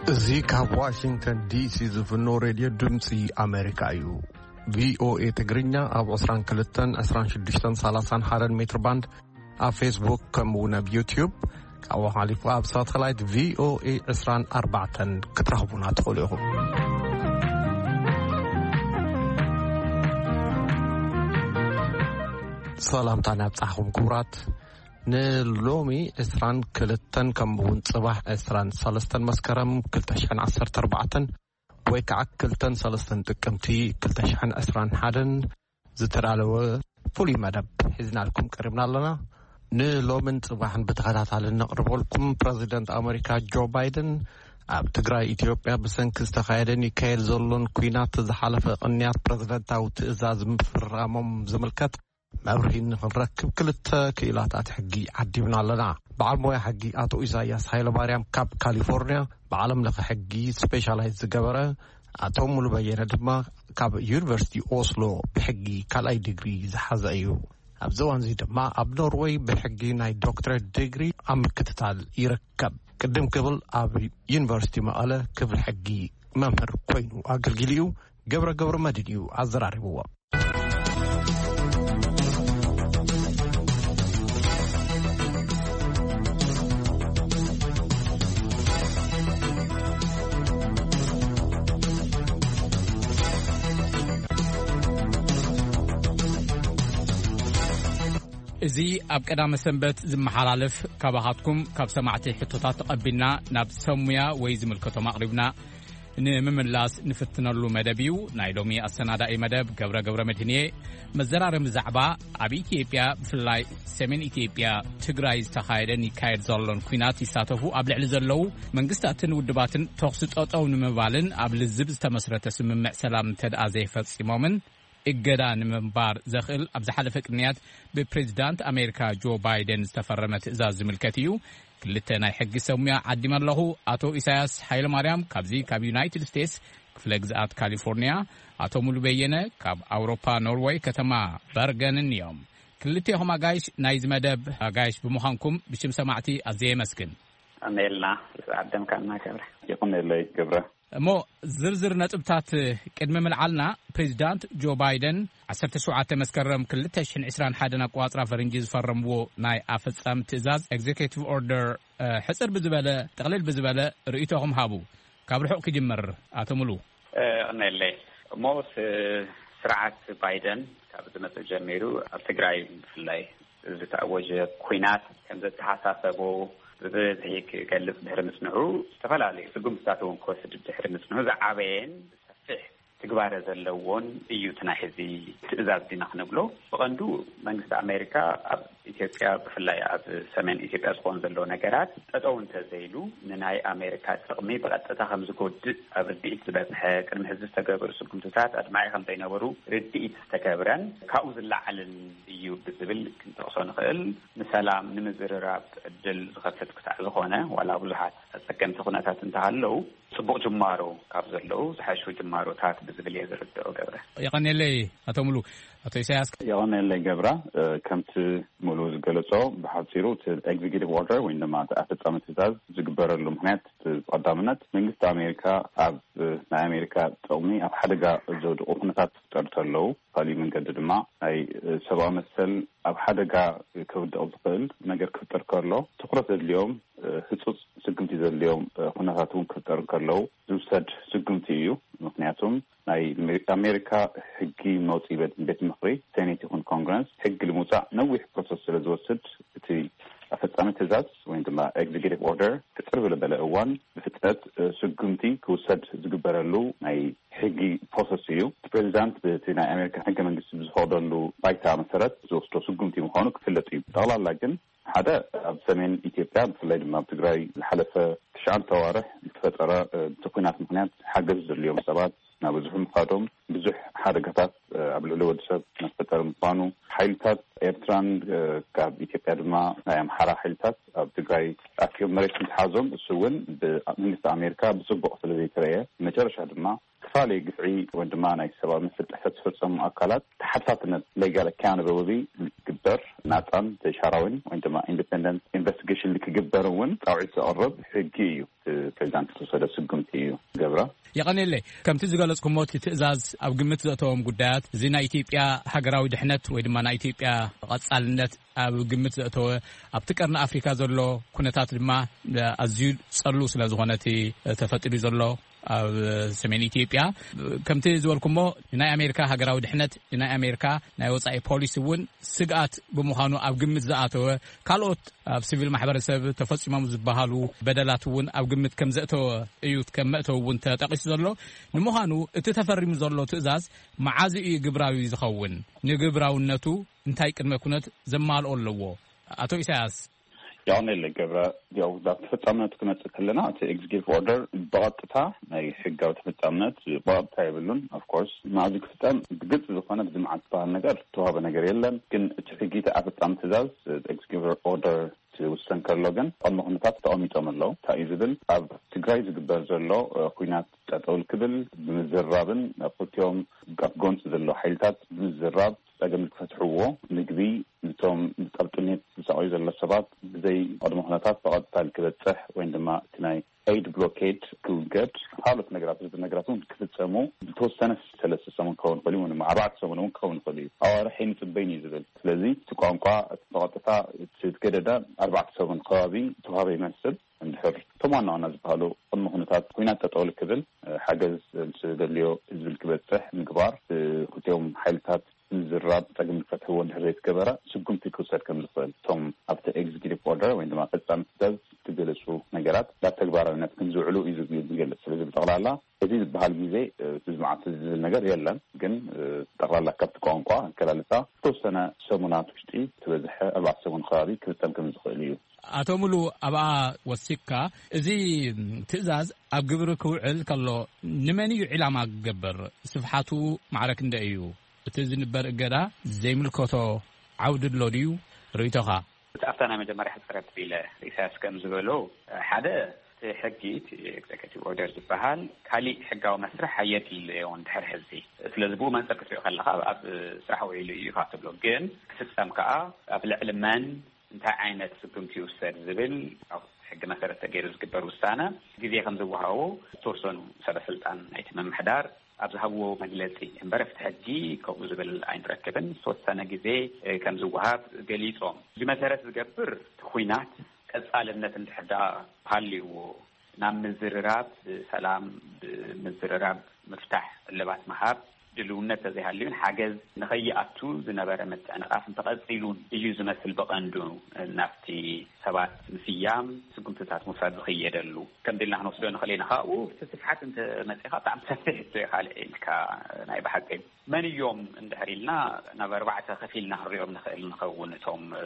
እዚ ካብ ዋሽንግተን ዲሲ ዝፍኖ ሬድዮ ድምፂ ኣሜሪካ እዩ። ቪኦኤ ትግርኛ ኣብ ዕስራን ክልተን፣ ዕስራን ሽዱሽተን፣ ሰላሳን ሓደን ሜትር ባንድ፣ ኣብ ፌስቡክ፣ ከምኡ እውን ኣብ ዩትዩብ፣ ካብኡ ሓሊፉ ኣብ ሳተላይት ቪኦኤ ዕስራን ኣርባዕተን ክትረኽቡና ትኽእሉ ኢኹም። ሰላምታ ናብጻሕኹም ክቡራት። ንሎሚ ዕስራን ክልተን ከምኡ እውን ጽባሕ ዕስራን ሰለስተን መስከረም ክልተ ሽሕን ዓሰርተ ኣርባዕተን ወይ ከዓ ክልተን ሰለስተን ጥቅምቲ ክልተ ሽሕን ዕስራን ሓደን ዝተዳለወ ፍሉይ መደብ ሒዝናልኩም ቀሪብና ኣለና። ንሎምን ጽባሕን ብተኸታታሊ ነቕርበልኩም፣ ፕረዚደንት ኣሜሪካ ጆ ባይደን ኣብ ትግራይ፣ ኢትዮጵያ ብሰንኪ ዝተኻየደን ይካየድ ዘሎን ኲናት ዝሓለፈ ቅንያት ፕረዚደንታዊ ትእዛዝ ምፍራሞም ዝምልከት መብርሂ ንኽንረክብ ክልተ ክኢላታት ሕጊ ዓዲብና ኣለና። በዓል ሞያ ሕጊ ኣቶ ኢሳያስ ሃይለማርያም ካብ ካሊፎርንያ፣ ብዓለም ለኸ ሕጊ ስፔሻላይዝ ዝገበረ፣ ኣቶ ሙሉ በየነ ድማ ካብ ዩኒቨርሲቲ ኦስሎ ብሕጊ ካልኣይ ዲግሪ ዝሓዘ እዩ። ኣብዚ እዋን እዚ ድማ ኣብ ኖርወይ ብሕጊ ናይ ዶክትሬት ዲግሪ ኣብ ምክትታል ይርከብ። ቅድም ክብል ኣብ ዩኒቨርሲቲ መቐለ ክፍሊ ሕጊ መምህር ኮይኑ ኣገልጊሉ እዩ። ገብረ ገብረ መድን እዩ ኣዘራሪብዎ። እዚ ኣብ ቀዳመ ሰንበት ዝመሓላለፍ፣ ካባኻትኩም ካብ ሰማዕቲ ሕቶታት ተቐቢልና ናብ ሰብ ሙያ ወይ ዝምልከቶም ኣቕሪብና ንምምላስ ንፍትነሉ መደብ እዩ። ናይ ሎሚ ኣሰናዳኢ መደብ ገብረ ገብረ መድህንየ። መዘራረቢ ዛዕባ፣ ኣብ ኢትዮጵያ ብፍላይ ሰሜን ኢትዮጵያ ትግራይ ዝተኻየደን ይካየድ ዘሎን ኲናት ይሳተፉ ኣብ ልዕሊ ዘለዉ መንግስታትን ውድባትን ተኹሲ ጠጠው ንምባልን ኣብ ልዝብ ዝተመስረተ ስምምዕ ሰላም እንተደኣ ዘይፈጺሞምን እገዳ ንምንባር ዘኽእል ኣብ ዝሓለፈ ቅንያት ብፕሬዚዳንት ኣሜሪካ ጆ ባይደን ዝተፈረመ ትእዛዝ ዝምልከት እዩ። ክልተ ናይ ሕጊ ሰብ ሙያ ዓዲመ ኣለኹ። ኣቶ ኢሳያስ ሓይለማርያም ካብዚ ካብ ዩናይትድ ስቴትስ ክፍለ ግዝኣት ካሊፎርኒያ፣ ኣቶ ሙሉ በየነ ካብ ኣውሮፓ ኖርወይ ከተማ በርገንን እዮም። ክልቴኹም ኣጋይሽ ናይዚ መደብ ኣጋይሽ ብምዃንኩም ብሽም ሰማዕቲ ኣዝየ የመስግን። ኣሜልና ዓደምካና ገብረ። ይቕነለይ ገብረ። እሞ ዝርዝር ነጥብታት ቅድሚ ምልዓልና፣ ፕሬዚዳንት ጆ ባይደን ዓሰርተ ሸውዓተ መስከረም ክልተ ሽሕን ዕስራን ሓደን ኣቋጽራ ፈረንጂ ዝፈረምዎ ናይ ኣፈጻሚ ትእዛዝ፣ ኤግዜኪቲቭ ኦርደር፣ ሕጽር ብዝበለ፣ ጥቕልል ብዝበለ ርእይቶኹም ሃቡ። ካብ ርሑቕ ክጅምር፣ ኣቶ ሙሉ። እ፣ ይቕነለይ። እሞ ስ-፣ ስርዓት ባይደን ካብ ዝመጽእ ጀሚሩ ኣብ ትግራይ ብፍላይ ዝተኣወጀ ኲናት ከም ዘተሓሳሰቦ ብብዝሒ ክገልጽ ድሕሪ ምጽንሑ፣ ዝተፈላለዩ ስጉምትታት እውን ክወስድ ድሕሪ ምጽንሑ፣ ዝዓበየን ሰፊሕ ትግባረ ዘለዎን እዩ እቲ ናይ ሕዚ ትእዛዝ ዲና ክንብሎ። ብቐንዱ መንግስቲ ኣሜሪካ ኣብ ኢትዮጵያ፣ ብፍላይ ኣብ ሰሜን ኢትዮጵያ ዝኸውን ዘሎ ነገራት ጠጠው እንተዘይሉ፣ ንናይ ኣሜሪካ ጥቕሚ ብቐጥታ ከም ዝጎድእ ኣብ ርድኢት ዝበጽሐ፣ ቅድሚ ሕዚ ዝተገበሩ ስጉምትታት ኣድማዒ ከም ዘይነበሩ ርድኢት ዝተገብረን ካብኡ ዝለዓልን እዩ ብዝብል ክንጠቕሶ ንኽእል። ንሰላም ንምዝርራብ ዕድል ዝኸፍት ክሳዕ ዝኾነ፣ ዋላ ብዙሓት ኣጸገምቲ ኩነታት እንተሃለዉ፣ ጽቡቕ ጅማሮ ካብ ዘለዉ ዝሓሹ ጅማሮታት ብዝብል እየ ዝርድኦ። ገብረ። የቐንየለይ ኣቶ ሙሉ። ኣቶ ኢሳያስ። የቐንየለይ ገብረ። እ፣ ከምቲ ሙሉ ዝገለጾ፣ ብሓጺሩ እቲ ኤግዜኪቲቭ ኦርደር ወይ ድማ እቲ ኣፈጻሚ ትእዛዝ ዝግበረሉ ምኽንያት፣ እቲ ብቐዳምነት መንግስቲ ኣሜሪካ ኣብ፣ እ፣ ናይ ኣሜሪካ ጥቕሚ ኣብ ሓደጋ ዘውድቑ ኩነታት ክፍጠሩ ከለዉ፣ ካልእ መንገዲ ድማ ናይ፣ እ፣ ሰብኣዊ መሰል ኣብ ሓደጋ ከውድቕ ዝኽእል ነገር ክፍጠር ከሎ፣ ትኹረት ዘድልዮም፣ እ፣ ህጹጽ ስጉምቲ ዘድልዮም፣ እ፣ ኩነታት እውን ክፍጠሩ ከለዉ ዝውሰድ ስጉምቲ እዩ። ምኽንያቱም ናይ ኣሜ-፣ ኣሜሪካ ሕጊ መውጽኢ ቤት፣ ቤት ምኽሪ፣ ሴኔት ይኹን ኮንግረስ፣ ሕጊ ንምውጻእ ነዊሕ ፕሮሰስ ስለ ዝወስድ፣ እቲ ኣፈጻሚ ትእዛዝ ወይ ድማ ኤግዜኪቲቭ ኦርደር ቅጽር ዝበለ እዋን ብፍጥነት፣ እ፣ ስጉምቲ ክውሰድ ዝግበረሉ ናይ ሕጊ ፕሮሰስ እዩ። እቲ ፕሬዚዳንት ብቲ ናይ ኣሜሪካ ሕገ መንግስቲ ብዝፈቕደሉ ባይታ መሰረት ዝወስዶ ስጉምቲ ምዃኑ ክፍለጥ እዩ። ጠቕላላ ግን ሓደ ኣብ ሰሜን ኢትዮጵያ ብፍላይ ድማ ኣብ ትግራይ ዝሓለፈ ትሽዓተ ኣዋርሕ ዝተፈጠረ፣ እ፣ እቲ ኲናት ምኽንያት ሓገዝ ዘድልዮም ሰባት ናበዝሑ ምኻዶም ብዙሕ ሓደጋታት፣ እ፣ ኣብ ልዕሊ ወዲ ሰብ እናፈጠረ ምዃኑ፣ ሓይልታት ኤርትራን፣ እ፣ ካብ ኢትዮጵያ ድማ ናይ ኣምሓራ ሓይልታት ኣብ ትግራይ ኣኪቦም መሬት ምትሓዞም፣ እሱ እውን ብመንግስቲ ኣሜሪካ ብጽቡቕ ስለ ዘይተረየ፣ መጨረሻ ድማ ዝተፈላለዩ ግፍዒ ወይ ድማ ናይ ሰብኣዊ መሰል ጥሕሰት ዝፈጸሙ ኣካላት ተሓታትነት፣ ሌጋል ኣካውንታብሊቲ፣ ንክግበር፣ ናጻን ዘይሻራዊን ወይ ድማ ኢንዲፔንደንት ኢንቨስቲጌሽን ንክግበር እውን ጻውዒት ዘቕርብ ሕጊ እዩ። እቲ ፕሬዚዳንት ዝተወሰደ ስጉምቲ እዩ። ገብረ። የቐኔለይ። ከምቲ ዝገለጽኩሞ፣ እቲ ትእዛዝ ኣብ ግምት ዘእተዎም ጉዳያት፣ እዚ ናይ ኢትዮጵያ ሃገራዊ ድሕነት ወይ ድማ ናይ ኢትዮጵያ ቐጻልነት ኣብ ግምት ዘእተወ፣ ኣብቲ ቀርኒ ኣፍሪካ ዘሎ ኩነታት ድማ ኣዝዩ ጸሉ ስለ ዝኾነ፣ እቲ ተፈጢሩ ዘሎ ኣብ ሰሜን ኢትዮጵያ፣ ከምቲ ዝበልኩሞ፣ ንናይ ኣሜሪካ ሃገራዊ ድሕነት፣ ንናይ ኣሜሪካ ናይ ወጻኢ ፖሊሲ እውን ስግኣት ብምዃኑ ኣብ ግምት ዝኣተወ፣ ካልኦት ኣብ ሲቪል ማሕበረሰብ ተፈጺሞም ዝበሃሉ በደላት እውን ኣብ ግምት ከም ዘእተወ እዩ ከም መእተዊ እውን ተጠቒሱ ዘሎ። ንምዃኑ እቲ ተፈሪሙ ዘሎ ትእዛዝ መዓዝ እዩ ግብራዊ ዝኸውን? ንግብራውነቱ እንታይ ቅድመ ኩነት ዘማልኦ ኣለዎ? ኣቶ ኢሳያስ። የቐኔለይ ገብረ። ያው ናብ ተፈጻምነቱ ክመጽእ ከለና፣ እቲ ኤግዚኪቲቭ ኦርደር ብቐጥታ ናይ ሕጋዊ ተፈጻምነት ብቐጥታ የብሉን። ኦፍኮርስ፣ መዓዝ ክፍጸም ብግልጺ ዝኾነ ብዝምዓት ዝበሃል ነገር ዝተዋህበ ነገር የለን። ግን እቲ ሕጊ፣ እቲ ኣፈጻሚ ትእዛዝ፣ ኤግዚኪቲቭ ኦርደር ክውሰን ከሎ ግን ቅድመ ኩነታት ተቐሚጦም ኣለዉ። እንታይ እዩ ዝብል? ኣብ ትግራይ ዝግበር ዘሎ፣ እ፣ ኲናት ጠጠው ክብል ብምዝራብን ኣብ ክልቲኦም ኣብ ጎንፂ ዘሎ ሓይልታት ብምዝራብ ጸገም ክፈትሕዎ፣ ምግቢ፣ ነቶም ኣብ ጥሜት ዝሳቐዩ ዘሎ ሰባት ብዘይ ቅድመ ኩነታት ብቐጥታ ክበጽሕ ወይ ድማ እቲ ናይ ኤይድ ብሎኬድ ክውገድ፣ ካልኦት ነገራት፣ ዝብል ነገራት እውን ክፍጸሙ ብተወሰነ ሰለስተ ሰሙን ክኸውን ይኽእል እዩ፣ ወይ ድማ ኣርባዕተ ሰሙን እውን ክኸውን ይኽእል እዩ። ኣዋርሕ ኣይንጽበይን እዩ ዝብል። ስለዚ እቲ ቋንቋ ብቐጥታ እቲ ገደዳ ኣርባዕተ ሰሙን ከባቢ ተዋህበ ይመስል። እንድሕር እቶም ዋና ዋና ዝበሃሉ ቅድመ ኩነታት ኲናት ጠጠው ክብል፣ ሓገዝ ምስ ዘድልዮ ህዝቢ ክበጽሕ ምግባር፣ ክልቲኦም ሓይልታት ምዝራብ ጸገም ክፈትሕዎ እንድሕር ዘይተገበረ ስጉምቲ ክውሰድ ከም ዝኽእል፣ እቶም ኣብቲ ኤግዚኪቲቭ ኦርደር ወይ ድማ ፈጻሚ ትእዛዝ ዝገለጹ ነገራት ናብ ተግባራዊነት ከም ዝውዕሉ እዩ ዝግ-፣ ዝገልጽ። ስለዚ ብጠቕላላ እዚ ዝበሃል ግዜ፣ እ፣ እዚ መዓልቲ ዝብል ነገር የለን። ግን፣ እ፣ ጠቕላላ ካብቲ ቋንቋ ኣገላልጻ ዝተወሰነ ሰሙናት ውሽጢ፣ እቲ በዝሐ ኣርባዕተ ሰሙን ከባቢ ክፍጸም ከም ዝኽእል እዩ። ኣቶ ሙሉ፣ ኣብኣ ወሲኽካ፣ እዚ ትእዛዝ ኣብ ግብሪ ክውዕል ከሎ ንመን እዩ ዒላማ ክገብር? ስፍሓቱ ማዕረ ክንደይ እዩ? እቲ ዝንበር እገዳ ዘይምልከቶ ዓውዲ ኣሎ ድዩ? ርእይቶኻ? እቲ ኣብታ ናይ መጀመርያ ሕጽረት ኢለ ኢሳያስ ከም ዝበሎ፣ ሓደ፣ እቲ ሕጊ፣ እቲ ኤግዜኪቲቭ ኦርደር ዝበሃል ካሊእ ሕጋዊ መስርሕ ኣየድልዮን ድሕሪ ሕዚ። ስለዚ ብኡ መንጽር ክትሪኦ ከለኻ ኣብ ስራሕ ውዒሉ እዩ ኢኻ ትብሎ። ግን ክፍጸም ከኣ ኣብ ልዕሊ መን እንታይ ዓይነት ስጉምቲ ይውሰድ ዝብል ኣብ ሕጊ መሰረት ተገይሩ ዝግበር ውሳነ ግዜ ከም ዝወሃቦ ዝተወሰኑ ሰበ ስልጣን ናይቲ ምምሕዳር ኣብ ዝሃብዎ መግለጺ እምበር፣ ኣብቲ ሕጊ ከምኡ ዝብል ኣይንረክብን። ዝተወሰነ ግዜ፣ እ፣ ከም ዝወሃብ ገሊጾም። እዚ መሰረት ዝገብር እቲ ኲናት ቀጻልነት እንድሕር ደኣ ሃልይዎ፣ ናብ ምዝርራብ ሰላም፣ ብምዝርራብ ምፍታሕ፣ እልባት ምሃብ ድልውነት ተዘይሃልዩን ሓገዝ ንኸይኣቱ ዝነበረ ምትዕንቓፍ እንተቐጺሉን እዩ ዝመስል ብቐንዱ ናብቲ ሰባት ምስያም ስጉምትታት ምውሳድ ዝኽየደሉ። ከም ድልና ክንወስዶ ንኽእል ኢና። ካብኡ እቲ ስፍሓት እንተ መጺኻ ብጣዕሚ ሰፊሕ ሕቶ እዩ፣ ካልእ ኢልካ ናይ ብሓቂ። መን እዮም እንድሕር ኢልና ናብ ኣርባዕተ ከፊልና ክንሪኦም ንኽእል ንኸውን። እቶም፣ እ፣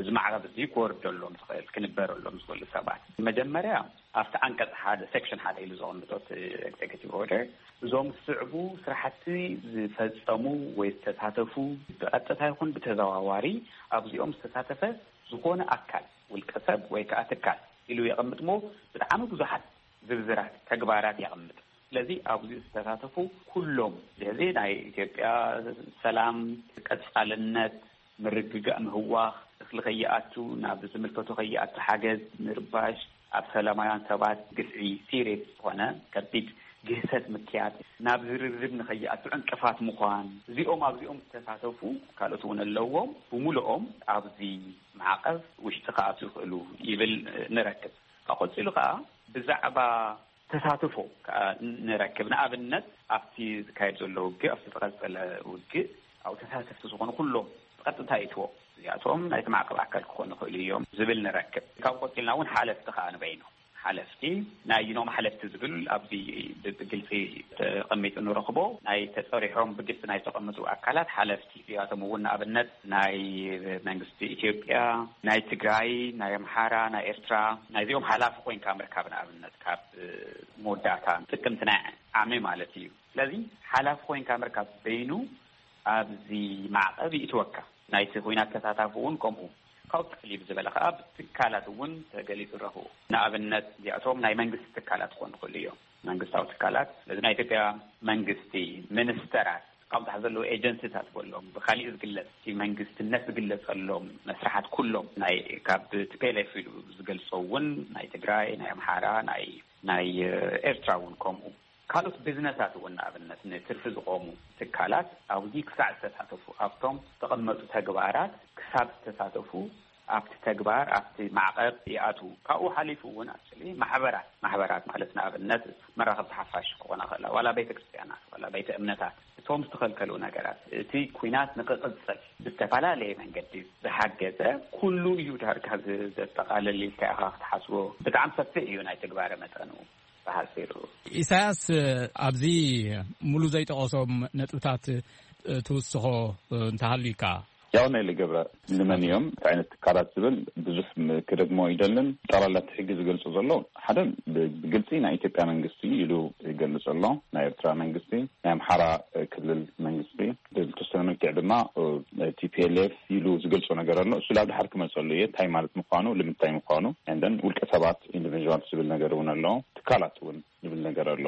እዚ ማዕቐብ እዚ ክወርደሎም ዝኽእል፣ ክንበረሎም ዝኽእሉ ሰባት። መጀመርያ ኣብቲ ዓንቀጽ ሓደ፣ ሴክሽን ሓደ ኢሉ ዘቐምጦ እቲ ኤግዜኪቲቭ ኦርደር፣ እዞም ዝስዕቡ ስራሕቲ ዝፈጸሙ ወይ ዝተሳተፉ ብቐጥታ ይኹን ብተዘዋዋሪ ኣብዚኦም ዝተሳተፈ ዝኾነ ኣካል፣ ውልቀ ሰብ ወይ ከኣ ትካል ኢሉ የቐምጥ እሞ ብጣዕሚ ብዙሓት ዝርዝራት ተግባራት የቐምጥ። ስለዚ ኣብዚ ዝተሳተፉ ኩሎም፣ ስለዚ ናይ ኢትዮጵያ ሰላም፣ ቀጻልነት፣ ምርግጋእ ምህዋኽ፣ እኽሊ ከይኣቱ፣ ናብ ዝምልከቶ ከይኣቱ ሓገዝ ምርባሽ፣ ኣብ ሰላማውያን ሰባት ግፍዒ፣ ሲሪየስ ዝኾነ ከቢድ ግህሰት ምክያድ፣ ናብ ዝርርብ ንኸይኣቱ ዕንቅፋት ምዃን፣ እዚኦም ኣብዚኦም ዝተሳተፉ ካልኦት እውን ኣለዎም። ብምሉኦም ኣብዚ ማዕቐብ ውሽጢ ክኣትዉ ይኽእሉ ይብል ንረክብ። ካብ ቀጺሉ ከኣ ብዛዕባ ተሳትፎ ከኣ ንረክብ። ንኣብነት ኣብቲ ዝካየድ ዘሎ ውግእ፣ ኣብቲ ዝቐጸለ ውግእ፣ ኣብኡ ተሳተፍቲ ዝኾኑ ኩሎም ብቐጥታ ይእትዎም። እዚኣቶም ናይቲ ማዕቀብ ኣካል ክኾኑ ይኽእሉ እዮም ዝብል ንረክብ። ካብ ቀጺልና እውን ሓለፍቲ ከኣ ንበይኖም። ሓለፍቲ፣ ናይ ኣየኖም ሓለፍቲ ዝብል ኣብዚ ብ-፣ ብግልጺ ተቐሚጡ ንረኽቦ። ናይ ተጸሪሖም ብግልጺ ናይ ተቐመጡ ኣካላት ሓለፍቲ፣ እዚኣቶም እውን ንኣብነት ናይ መንግስቲ ኢትዮጵያ፣ ናይ ትግራይ፣ ናይ ኣምሓራ፣ ናይ ኤርትራ፣ ናይዚኦም ሓላፊ ኮይንካ ምርካብ፣ ንኣብነት ካብ መወዳእታ ጥቅምቲ ናይ ዓሚ ማለት እዩ። ስለዚ ሓላፊ ኮይንካ ምርካብ በይኑ ኣብዚ ማዕቐብ ይእትወካ። ናይቲ ኲናት ተሳታፊ እውን ከምኡ። ካብኡ ክፍል እዩ ዝበለ ከዓ ብትካላት እውን ተገሊጹ ረኽቡ። ንኣብነት እዚኣቶም ናይ መንግስቲ ትካላት ክኾኑ ይኽእሉ እዮም፣ መንግስታዊ ትካላት። ስለዚ ናይ ኢትዮጵያ መንግስቲ ሚኒስተራት፣ ካብኡ ታሕቲ ዘለዉ ኤጀንሲታት በሎም፣ ብካሊእ ዝግለጽ እቲ መንግስትነት ዝግለጸሎም መስርሓት ኩሎም፣ ናይ ካብ ቲ ፒ ኤል ኤፍ ኢሉ ዝገልጾ እውን ናይ ትግራይ፣ ናይ ኣምሓራ፣ ናይ ናይ ኤርትራ እውን ከምኡ። ካልኦት ቢዝነሳት እውን ንኣብነት ንትርፊ ዝቆሙ ትካላት ኣብዚ ክሳዕ ዝተሳተፉ፣ ኣብቶም ዝተቐመጡ ተግባራት ክሳብ ዝተሳተፉ፣ ኣብቲ ተግባር ኣብቲ ማዕቐብ ይኣትዉ። ካብኡ ሓሊፉ እውን ኣክሊ ማሕበራት ማሕበራት ማለት ንኣብነት መራኸብቲ ሓፋሽ ክኾና ከላ ዋላ ቤተ ክርስቲያናት ዋላ ቤተ እምነታት እቶም ዝተኸልከሉ ነገራት፣ እቲ ኩናት ንክቕፅል ብዝተፈላለየ መንገዲ ዝሓገዘ ኩሉ እዩ ዳርጋ ዘጠቓልል ኢልካ ኢኻ ክትሓስቦ። ብጣዕሚ ሰፊሕ እዩ ናይ ትግባረ መጠኑ ብሓፂሩ። ኢሳያስ፣ ኣብዚ ሙሉ ዘይጠቐሶም ነጥብታት ትውስኾ እንተሃልዩካ? ያው ናይ ገብረ ንመን እዮም እንታይ ዓይነት ትካላት ዝብል ብዙሕ ክደግሞ ይደልን። ጠቕላላ እቲ ሕጊ ዝገልጾ ዘሎ ሓደ ብግልጺ ናይ ኢትዮጵያ መንግስቲ ኢሉ ይገልጽ ኣሎ። ናይ ኤርትራ መንግስቲ፣ ናይ ኣምሓራ ክልል መንግስቲ፣ ብዝተወሰነ መልክዕ ድማ ቲ ፒ ኤል ኤፍ ኢሉ ዝገልጾ ነገር ኣሎ። እሱ ላብ ድሓር ክመጸሉ እየ እንታይ ማለት ምዃኑ ልምንታይ ምዃኑ፣ እንደን ውልቀ ሰባት ኢንዲቪድዋል ዝብል ነገር እውን ኣሎ። ትካላት እውን ዝብል ነገር ኣሎ።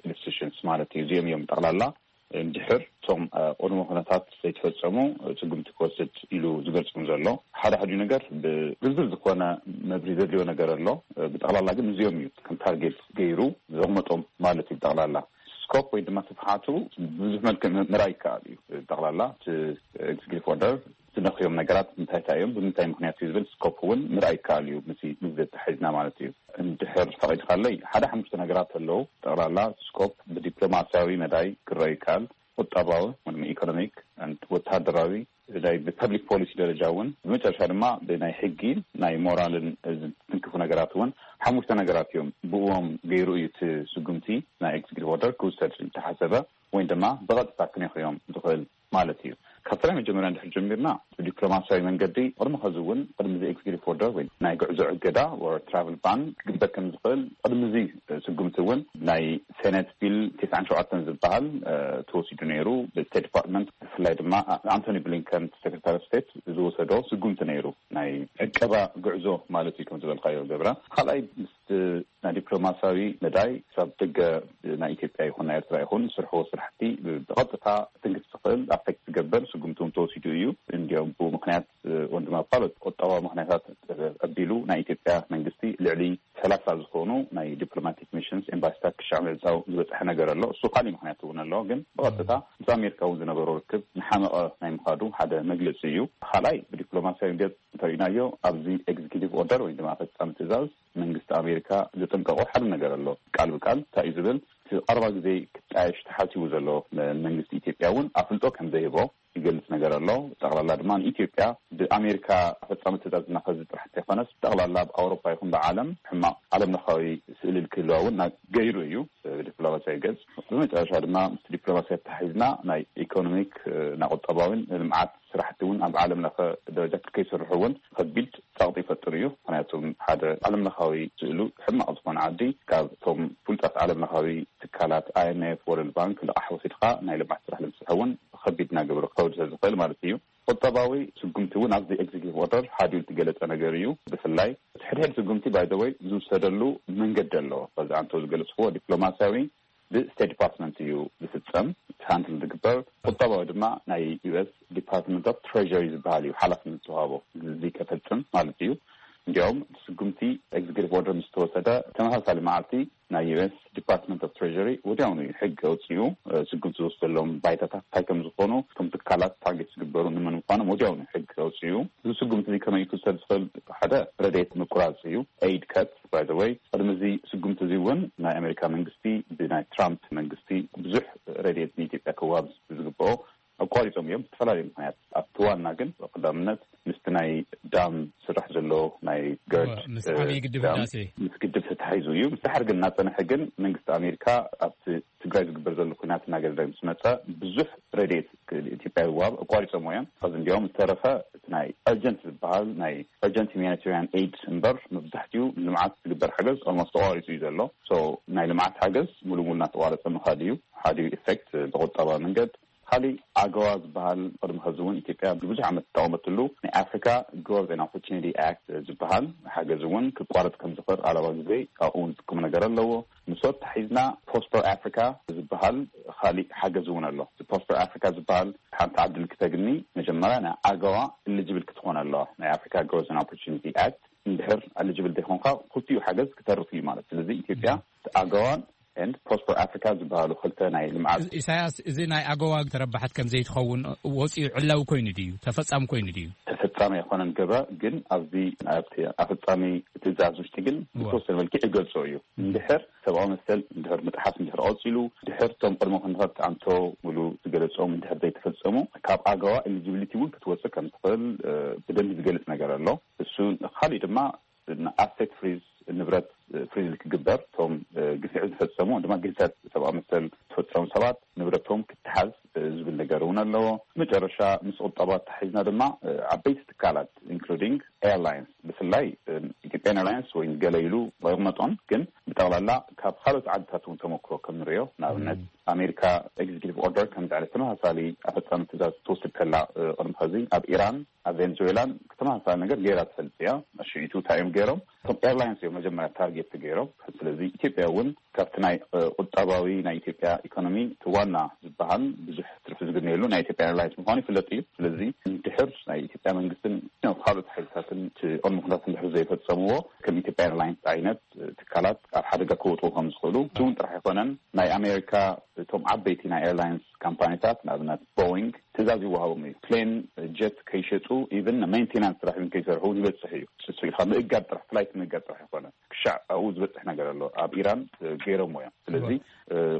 ኢንስቲቱሽንስ ማለት እዩ። እዚኦም እዮም ጠቕላላ እንድሕር እቶም ቅድመ ኩነታት ዘይተፈጸሙ ስጉምቲ ክወስድ ኢሉ ዝገልጾም ዘሎ። ሓደ ሓደ ነገር ብዝርዝር ዝኾነ መብሪ ዘድልዮ ነገር ኣሎ። ብጠቕላላ ግን እዚኦም እዩ ከም ታርጌት ገይሩ ዘቕመጦም ማለት እዩ። ብጠቕላላ ስኮፕ ወይ ድማ ስፍሓቱ ብዙሕ መልክዕ ምርኣይ ይከኣል እዩ። ብጠቕላላ እቲ ኤግዚኪቲቭ ኦርደር ዝነኽዮም ነገራት እንታይ እንታይ እዮም፣ ብምንታይ ምክንያት እዩ ዝብል ስኮፕ እውን ምርኣይ ይከኣል እዩ። ምስ ምስ ዘተሓሒዝና ማለት እዩ። እንድሕር ፈቒድካለይ ሓደ ሓሙሽተ ነገራት ኣለዉ። ጠቕላላ ስኮፕ ብዲፕሎማሲያዊ መዳይ ክረአ ይከኣል፣ ቁጠባዊ ወይ ድማ ኢኮኖሚክ፣ ወታደራዊ፣ ናይ ብፐብሊክ ፖሊሲ ደረጃ እውን፣ ብመጨረሻ ድማ ብናይ ሕጊ ናይ ሞራልን ዝትንክፉ ነገራት እውን ሓሙሽተ ነገራት እዮም። ብእዎም ገይሩ እዩ እቲ ስጉምቲ ናይ ኤግዚኪቲቭ ኦርደር ክውሰድ ዝተሓሰበ ወይ ድማ ብቐጥታ ክነኽዮም ዝኽእል ማለት እዩ። ካብቲ ናይ መጀመርያ እንድሕር ጀሚርና ብዲፕሎማሲያዊ መንገዲ ቅድሚ ከዚ እውን ቅድሚ እዚ ኤግዚኪቲቭ ኦርደር ወይ ናይ ጉዕዞ እገዳ ወር ትራቭል ባን ክግበር ከም ዝኽእል ቅድሚ እዚ ስጉምቲ እውን ናይ ሴኔት ቢል ተስዓን ሸውዓተን ዝበሃል ተወሲዱ ነይሩ። ብስቴት ዲፓርትመንት ብፍላይ ድማ ኣንቶኒ ብሊንከን ሴክሬታሪ ስቴት ዝወሰዶ ስጉምቲ ነይሩ፣ ናይ ዕቀባ ጉዕዞ ማለት እዩ። ከም ዝበልካዮ ገብረ፣ ካልኣይ ምስ ናይ ዲፕሎማሲያዊ መዳይ ክሳብ ደገ ናይ ኢትዮጵያ ይኹን ናይ ኤርትራ ይኹን ዝስርሕዎ ስራሕቲ ብቐጥታ ክትንክፍ ዝኽእል ኣፌክት ዝገብር ስጉምቲ እውን ተወሲዱ እዩ። እንዲያውም ብኡ ምክንያት እውን ድማ ካልኦት ቁጠባዊ ምክንያታት ኣቢሉ ናይ ኢትዮጵያ መንግስቲ ልዕሊ ሰላሳ ዝኾኑ ናይ ዲፕሎማቲክ ሚሽንስ ኤምባሲታት ክሻዕ ምዕፃው ዝበፅሐ ነገር ኣሎ። እሱ ካሊእ ምክንያት እውን ኣሎ። ግን ብቐጥታ ምስ ኣሜሪካ እውን ዝነበሮ ርክብ ንሓመቐ ናይ ምኻዱ ሓደ መግለፂ እዩ። ካልኣይ ብዲፕሎማሲያዊ ገፅ እንተሪእናዮ ኣብዚ ኤግዚኪቲቭ ኦርደር ወይ ድማ ፈፃሚ ትእዛዝ መንግስቲ ኣሜሪካ ዘጠንቀቆ ሓደ ነገር ኣሎ። ቃል ብቃል እንታይ እዩ ዝብል? እቲ ቀረባ ግዜ ክጣየሽ ተሓሲቡ ዘሎ መንግስቲ ኢትዮጵያ እውን ኣፍልጦ ከም ዘይህቦ ይገልጽ ነገር ኣሎ። ጠቕላላ ድማ ንኢትዮጵያ ብኣሜሪካ ፈጻሚ ትእዛዝ እናኸዚ ጥራሕ እንተይኮነስ፣ ጠቕላላ ኣብ ኣውሮፓ ይኹን ብዓለም ሕማቕ ዓለም ለኻዊ ስእሊ ክህልዋ እውን ና-፣ ገይሩ እዩ ብዲፕሎማሲያዊ ገጽ። ብመጨረሻ ድማ ምስ ዲፕሎማሲ ኣተሓሒዝና ናይ ኢኮኖሚክ፣ እ፣ ናይ ቁጠባዊን ልምዓት ስራሕቲ እውን ኣብ ዓለም ለኸ ደረጃ ከይሰርሑ እውን ከቢድ ጸቕጢ ይፈጥር እዩ። ምኽንያቱ ሓደ ዓለም ለኻዊ ስእሉ ሕማቕ ዝኾነ ዓዲ ካብ እቶም ፍሉጣት ዓለም ለኻዊ ትካላት ኣይ ኤም ኤፍ፣ ወርልድ ባንክ ልቓሕ ወሲድካ ናይ ልምዓት ስራሕ ንምስራሕ እውን ከቢድ እናገበረ ክኸውድ ስለ ዝኽእል ማለት እዩ። ቁጠባዊ ስጉምቲ እውን ኣብዚ ኤግዚኪቲቭ ኦርደር ሓዲኡ ዝተገለጸ ነገር እዩ። ብፍላይ እቲ ሕድሕድ ስጉምቲ ባይ ዘ ወይ ዝውሰደሉ መንገዲ ኣሎ። በዚ ኣንተ ዝገለጽክዎ ዲፕሎማሲያዊ ብስቴት ዲፓርትመንት እዩ ዝፍጸም፣ ሃንድል ዝግበር። ቁጠባዊ ድማ ናይ ዩ ኤስ ዲፓርትመንት ኦፍ ትሬዥሪ ዝበሃል እዩ ሓላፍነት ዝተዋህቦ እዚ ከፈጽም ማለት እዩ። እንዲያውም እቲ ስጉምቲ ኤግዚኪቲቭ ኦርደር ምስ ተወሰደ ተመሳሳሊ መዓልቲ ናይ ዩ ኤስ ዲፓርትመንት ኦፍ ትሬዥሪ ወዲያውኑ እዩ ሕጊ ኣውፂኡ፣ እ፣ ስጉምቲ ዝወስደሎም ባይታታት እንታይ ከም ዝኾኑ፣ እቶም ትካላት ታርጌት ዝግበሩ ንመን ምዃኖም ወዲያውኑ ሕጊ ኣውፂኡ። እዚ ስጉምቲ እዚ ከመይ ክውሰድ ዝኽእል? ሓደ ረድኤት ምቁራፅ እዩ፣ ኤይድ ከት። ባይ ዘ ወይ ቅድሚ እዚ ስጉምቲ እዚ እውን ናይ ኣሜሪካ መንግስቲ ብናይ ትራምፕ መንግስቲ ብዙሕ ረድኤት ንኢትዮጵያ ክወሃብ ዝግብኦ ኣቋሪጾም እዮም ብዝተፈላለዩ ምኽንያት። ኣብቲ ዋና ግን ቀዳምነት ምስቲ ናይ ዳም ስራሕ ዘሎ ናይ ገርድ፣ ምስ እ፣ ዓብዪ ግድብ ዳም ህዳሴ። ምስ ግድብ ተታሒዙ እዩ። ምስ ድሓር ግን እናጸንሐ ግን መንግስቲ ኣሜሪካ ኣብቲ ትግራይ ዝግበር ዘሎ ኩናት እናገደደ ምስ መጸ ብዙሕ ረድኤት ክ-፣ ኢትዮጵያ ይወሃብ ኣቋሪጾም እዮም። ከዚ እንዲያውም ዝተረፈ እቲ ናይ እርጀንት ዝበሃል ናይ እርጀንት ሁማኒታሪያን ኤይድ እምበር መብዛሕትኡ ልምዓት ዝግበር ሓገዝ ኦልሞስት ተቋሪጹ እዩ ዘሎ። ሶ ናይ ልምዓት ሓገዝ ሙሉ ሙሉ እናተቋረጸ ምኻድ እዩ። ሓደ ኢፌክት ብቁጠባ መንገድ ካሊእ ኣገዋ ዝበሃል ቅድሚ ሕዚ እውን ኢትዮጵያ ብዙሕ ዓመት ዝጠቐመትሉ ናይ ኣፍሪካ ግሮዝ ኤንድ ኦፖርቹኒቲ ኣክት ዝበሃል ሓገዝ እውን ክቋረፅ ከም ዝኽእል ኣለባ ግዜ ኣብኡ እውን ዝጥቀሙ ነገር ኣለዎ። ምስ ኣተሓሒዝና ፕሮስፐር ኣፍሪካ ዝበሃል ካሊእ ሓገዝ እውን ኣሎ። ፕሮስፐር ኣፍሪካ ዝበሃል ሓንቲ ዓዲ ልክተግኒ መጀመርያ ናይ ኣገዋ ኤሊጅብል ክትኾን ኣለዋ። ናይ ኣፍሪካ ግሮዝ ኤንድ ኦፖርቹኒቲ ኣክት እንድሕር ኤሊጅብል ዘይኮንካ ክልቲኡ ሓገዝ ክተርፍ እዩ ማለት። ስለዚ ኢትዮጵያ ኣገዋን ኤንድ ፕሮስፐር ኣፍሪካ ዝበሃሉ ክልተ ናይ ልምዓት። ኢሳያስ፣ እዚ ናይ ኣገዋ ተረባሓት ከም ዘይትኸውን ወፂኡ ዕላዊ ኮይኑ ድዩ? ተፈጻሚ ኮይኑ ድዩ? ተፈጻሚ ኣይኮነን ገባ፣ ግን ኣብዚ ኣብቲ ኣፈጻሚ ትእዛዝ ውሽጢ ግን እወ። ብተወሰነ መልክዕ ይገልጾ እዩ። እንድሕር ሰብኣዊ መሰል እንድሕር ምጥሓስ እንድሕር ቀፂሉ፣ ድሕር እቶም ቅድመ ኩነታት ኣንቶ ሙሉ ዝገለጾም እንድሕር ዘይተፈጸሙ፣ ካብ ኣገዋ ኤሊጂቢሊቲ እውን ክትወፅእ ከም ትኽእል እ፣ ብደንቢ ዝገልጽ ነገር ኣሎ። እሱ ካሊእ ድማ ኣሴት ፍሪዝ፣ ንብረት ፍሪዝ ክግበር፣ እቶም ግፍዒ ዝፈጸሙ ድማ ግህሰት ሰብኣዊ መሰል ዝፈጸሙ ሰባት ንብረቶም ክትሓዝ ዝብል ነገር እውን ኣለዎ። መጨረሻ ምስ ቁጠባ ተታሒዝና ድማ ዓበይቲ ትካላት ኢንክሉዲንግ ኤርላይንስ፣ ብፍላይ ኢትዮጵያን ኤርላይንስ ወይ ገለ ኢሉ ኣይቕመጦን፣ ግን ብጠቕላላ ካብ ካልኦት ዓድታት እውን ተመክሮ ከም ንሪኦ፣ ንኣብነት ኣሜሪካ ኤግዚኪቲቭ ኦርደር ከምዚ ዓይነት ተመሳሳሊ ኣፈጻሚ ትእዛዝ ትወስድ ከላ ቅድሚ ኸዚ ኣብ ኢራን ኣብ ቬንዙዌላን ተመሳሳሊ ነገር ገይራ ትፈልጥ እያ። ሽዒቱ እንታይ እዮም ገይሮም? እቶም ኤርላይንስ እዮም መጀመርያ ታርጌት ገይሮም። ስለዚ ኢትዮጵያ እውን ካብቲ ናይ ቁጠባዊ ናይ ኢትዮጵያ ኢኮኖሚ እቲ ዋና ዝበሃል ብዙሕ ትርፊ ዝግነየሉ ናይ ኢትዮጵያ ኤርላይንስ ምዃኑ ይፍለጥ እዩ። ስለዚ እንድሕር ናይ ኢትዮጵያ መንግስትን ካልኦት ሓይልታትን እቲ ቅድመ ኩነታት እንድሕር ዘይፈፀምዎ ከም ኢትዮጵያ ኤርላይንስ ዓይነት ትካላት ኣብ ሓደጋ ክወጥኡ ከም ዝኽእሉ እቲ እውን ጥራሕ ኣይኮነን። ናይ ኣሜሪካ እቶም ዓበይቲ ናይ ኤርላይንስ ካምፓኒታት ንኣብነት ቦይንግ ትእዛዝ ይወሃቦም እዩ። ፕሌን ጀት ከይሸጡ ኢቨን ሜንቴናንስ ስራሕ እውን ከይሰርሑ እውን ይበፅሕ እዩ። እሱ ኢልካ ምእጋድ ጥራሕ ፍላይት ምእጋድ ጥራሕ ኣይኮነ ክሻዕ ኣብኡ ዝበፅሕ ነገር ኣሎ። ኣብ ኢራን ገይሮሞ እዮም። ስለዚ